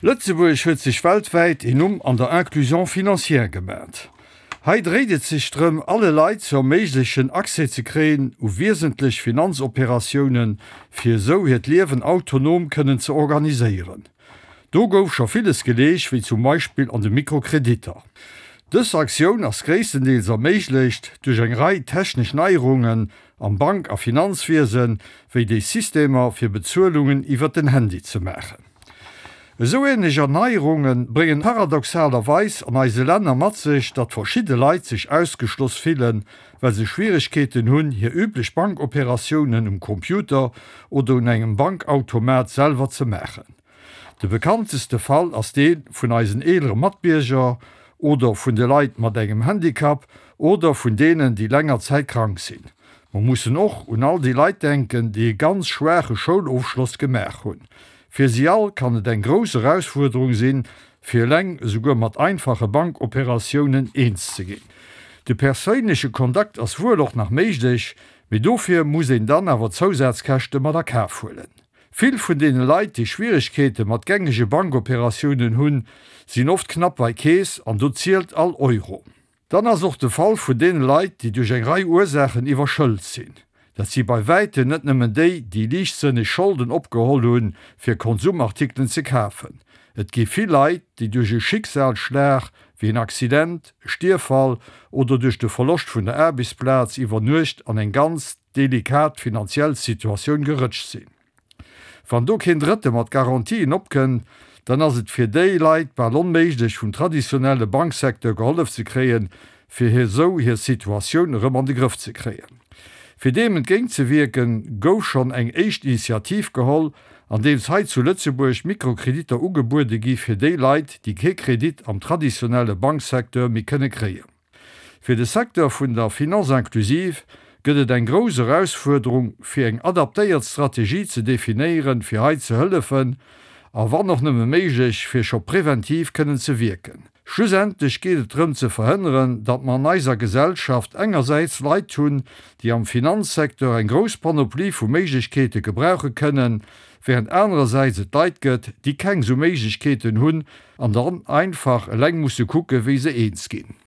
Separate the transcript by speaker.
Speaker 1: Lëtzebuerg huet sech weltwäit een Numm an der Inclusion financière gemat. Hei dréit et sech drëm, alle Leit ze erméiglechen, Accès ze kréien u wiesentlech Finanzoperatiounen, fir esou hiert Liewen autonom kënnen ze organiséieren. Do gouf scho villes geleescht, wéi zum Beispill an de Mikrokreditter. Dës Aktioun ass gréisstendeels erméiglecht duerch eng Rei technesch Neierungen am Bank a Finanzwiesen, wéi déi Systemer fir Bezuelungen iwwert den Handy ze maachen. Esou ähnlech Erneierunge bréngen paradoxalerweis an eise Länner mat sech, datt verschidde Leit sech ausgeschloss fillen, well se Schwieregkeeten hunn, hir üblech Bankoperatiounen um Computer oder un engem Bankautomat selwer ze maachen. De bekannteste Fall ass dee vun eisen eelere Matbierger oder vun de Leit mat engem Handicap oder vun deenen, déi länger Zäit krank sinn. Mer mussen och un all déi Leit denken, déi e ganz schwaache Schoulofschloss gemaach hunn. Fir si all kann et eng grouss Erausfuerderung sinn, fir eleng esouguer mat einfache Bankoperatiounen eens ze ginn. De perséinleche Kontakt ass wuel och nach méiglech, mee dofir muss een dann awer Zousazkäschte mat a Kaf huelen. Vill vun deene Leit, déi Schwieregkeete mat gängege Bankoperatiounen hunn, sinn oft knapp bei Keess an do zielt all Euro. Dann ass och de Fall vun deene Leit, déi duerch eng Rei Ursaachen iwwerschëlt sinn. Dat si bei wäitem net nëmmen déi, déi liichtsënneg Scholden opgeholl hunn, fir Konsumartikelen ze kafen. Et gi vill Leit, déi duerch e Schicksalsschlag, wéi en Accident, e Stierffall oder duerch de Verloscht vun der Aarbechtsplaz iwwer Nuecht an eng ganz delikat finanziell Situatioun gerëtscht sinn. Wann do keen Drëtte mat Garantien opkënnt, dann ass et fir déi Leit bal onméiglech vum traditionelle Banksecteur gehollef ze kréien, fir hir esou hir Situatioun erëm an de Grëff ze kréien. Fir deem entgéint ze wierken, gouf schonn eng éischt Initiativ geholl, andeems hei zu Lëtzebuerg Mikrokreditter ugebuede gi fir déi Leit, déi kee Kredit am traditionelle Banksecteur méi kënne kréien. Fir de Secteur vun der Finance inclusive gëtt et eng grouss Erausfuerderung, fir eng adaptéiert Strategie ze definéieren, fir hei ze hëllefen a wann och nëmme méiglech, fir scho preventiv kënnen ze wierken. Schlussendlech geet et drëm ze verhënneren, datt mer an eiser Gesellschaft engersäits Leit hunn, déi am Finanzsecteur eng grouss Panoplie vu Méiglechkeete gebrauche kënnen, während anerersäits et Leit gëtt, déi keng esou Méiglechkeeten hunn an dann einfach eleng musse kucke wéi se eens ginn.